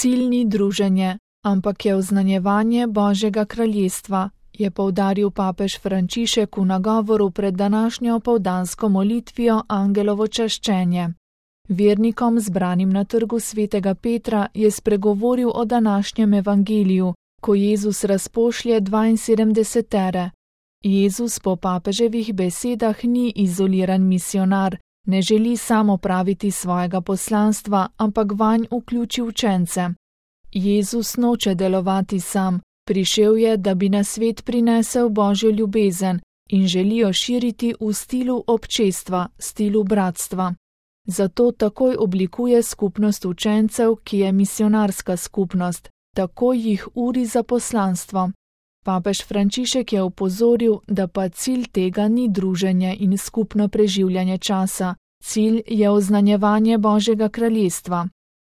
Cilj ni druženje, ampak je oznanjevanje Božjega kraljestva, je poudaril papež Frančišek v nagovoru pred današnjo opoldansko molitvijo Angelovo čaščenje. Vernikom zbranim na trgu svetega Petra je spregovoril o današnjem evangeliju, ko Jezus razpošlje 72. Jezus po papeževih besedah ni izoliran misionar, ne želi sam opraviti svojega poslanstva, ampak vanj vključi učence. Jezus noče delovati sam, prišel je, da bi na svet prinesel Božjo ljubezen in želi jo širiti v stilu občestva, stilu bratstva. Zato takoj oblikuje skupnost učencev, ki je misionarska skupnost, takoj jih uri za poslanstvo. Papež Frančišek je opozoril, da pa cilj tega ni druženje in skupno preživljanje časa, cilj je oznanjevanje Božjega kraljestva.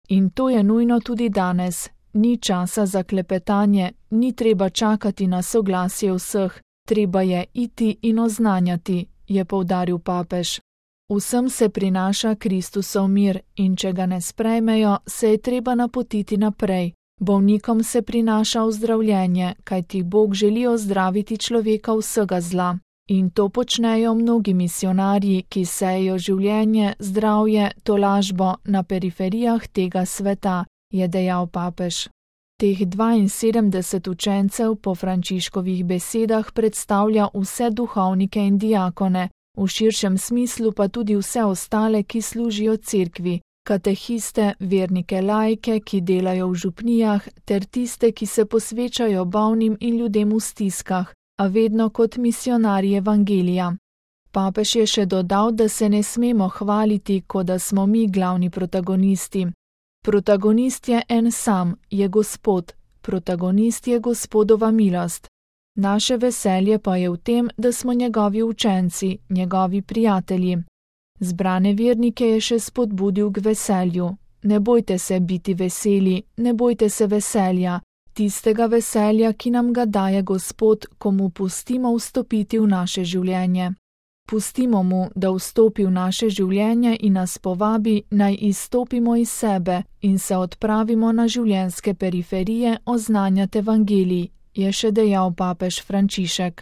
In to je nujno tudi danes. Ni časa za klepetanje, ni treba čakati na soglasje vseh, treba je iti in oznanjati, je poudaril papež. Vsem se prinaša Kristusov mir in če ga ne sprejmejo, se je treba napotiti naprej. Bolnikom se prinaša ozdravljenje, kajti Bog želi ozdraviti človeka vsega zla. In to počnejo mnogi misionarji, ki sejejo življenje, zdravje, tolažbo na periferijah tega sveta, je dejal papež. Teh 72 učencev po Frančiškovih besedah predstavlja vse duhovnike in diakone, v širšem smislu pa tudi vse ostale, ki služijo cerkvi, katehiste, vernike laike, ki delajo v župnijah, ter tiste, ki se posvečajo bolnim in ljudem v stiskah, a vedno kot misionarji evangelija. Papež je še dodal, da se ne smemo hvaliti, kot da smo mi glavni protagonisti. Protagonist je en sam, je Gospod, protagonist je Gospodova milost. Naše veselje pa je v tem, da smo njegovi učenci, njegovi prijatelji. Zbrane vernike je še spodbudil k veselju. Ne bojte se biti veseli, ne bojte se veselja, tistega veselja, ki nam ga daje Gospod, ko mu pustimo vstopiti v naše življenje. Pustimo mu, da vstopi v naše življenje in nas povabi, naj izstopimo iz sebe in se odpravimo na življenjske periferije oznanjati evangelij, je še dejal papež Frančišek.